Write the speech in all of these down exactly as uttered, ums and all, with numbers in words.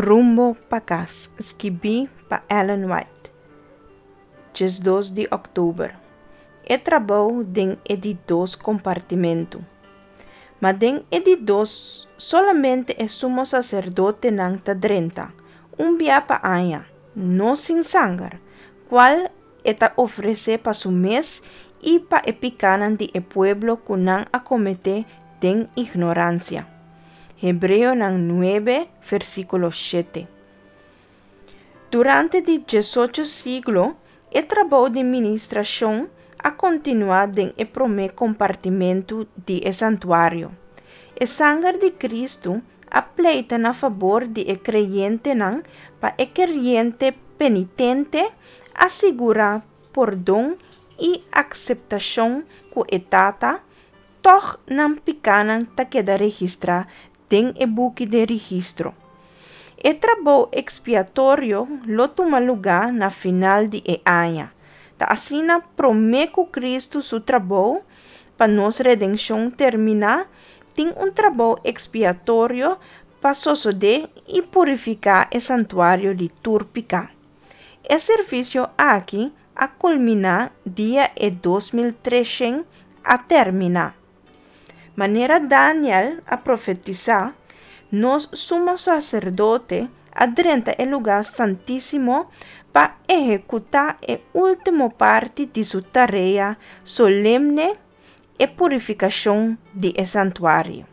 Rumbo pa Kas, skibí pa Ellen White, diesdos di òktober. E trabou den e di dos kompartimentu. Ma den e di dos solamente e sumo saserdotenan ta drenta, un bia pa aña, no sin sanger, kual e ta ofresé pa su mes i pa e pikánan di e pueblo ku nan a kometé den ignoransia. Hebreonan nuebe, versíkulo shete. Durante di diesocho siglo, e trabou di ministrashon a kontinuá den e promé kompartimentu di e santuario. E sanger di Kristu a pleita na fabor di e kreyentenan pa e kreyente penitente a sigurá pordon i akseptashon ku e Tata, tòg nan pikánan ta keda registrá den e buki di registro. E trabou ekspiatorio lo tuma lugá na final di e aña. Ta asina promé ku Kristu su trabou pa nos redenshon terminá, tin un trabou ekspiatorio pa sosodé i purifiká e santuario di tur piká. E servisio aki a kulminá dia e dos mil treshent a terminá. Manera Daniel a profetisá, nos sumo saserdote a drenta e lugá santísimo pa ehekutá e último parti di su tarea solemne, e purifikashon di e santuario.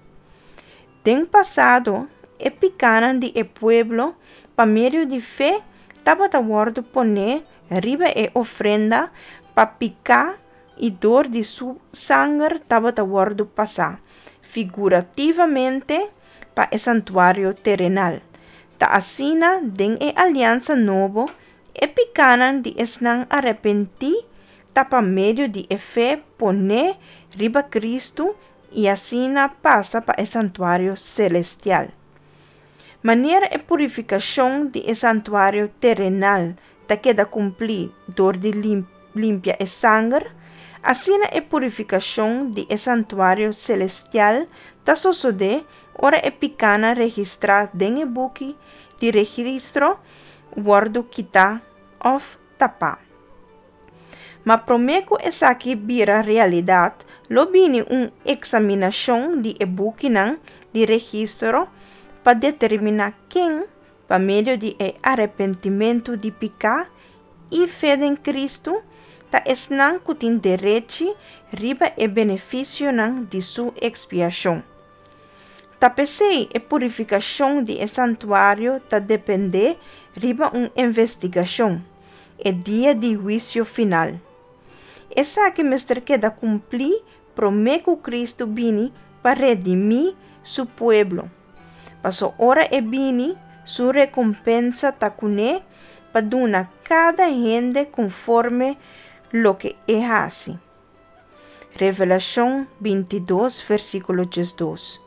Den pasado, e pikánan di e pueblo pa medio di fe tabata wòrdu poné riba e ofrenda pa piká i dor di su sanger tabata wòrdu pasá figurativamente pa e santuario terenal. Ta asina den e aliansa nobo, e pikánan di esnan arepentí ta pa medio di e fe poné riba Kristu i asina pasa pa e santuario selestial. Manera e purifikashon di e santuario terenal ta keda kumplí dor di limpia e sanger, asina e purifikashon di e santuario selestial ta sosodé ora e pikánan registrá den e buki di registro wòrdu kitá òf tapá. Ma promé ku esaki bira realidat, lo bini un eksaminashon di e bukinan di registro pa determiná ken, pa medio di e arepentimentu di piká i fe den Kristu, ta esnan ku tin derechi riba e benefisionan di su ekspiashon. Ta p'esei e purifikashon di e santuario ta dependé riba un investigashon, e dia di huisio final. Esaki mester keda kumplí promé ku Kristu bini pa redimí su pueblo. Paso ora e bini, su rekompensa ta kuné pa duna kada hende konforme loke e hasi. Revelashon bintidos, versíkulo diesdos.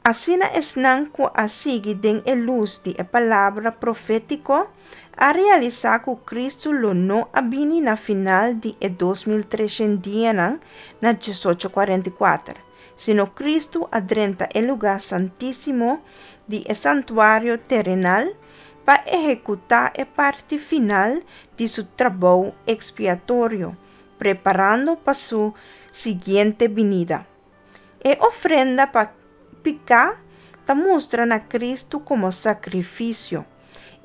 Asina esnan ku a sigui den e lus di e palabra profétiko a realisá ku Kristu lo no a bini na final di e dos mil treshent dianan na diesocho kuarenta i kuater, sino Kristu a drenta e lugá santísimo di e santuario terenal pa ehekutá e parti final di su trabou ekspiatorio, preparando pa su siguiente binida. E ofrenda pa piká ta mustra na Kristu komo sakrifisio,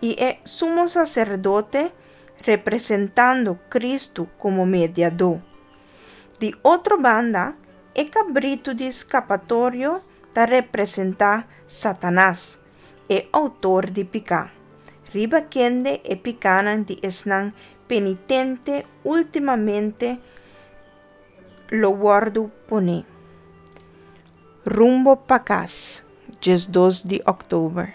i e sumo saserdote representando Kristu komo mediadó. Di otro banda, e kabritu di skapatorio ta representá Satanas, e outor di piká, riba kende e pikánan di esnan penitente últimamente lo wòrdu poné. Rumbo pa Kas, diesdos di òktober.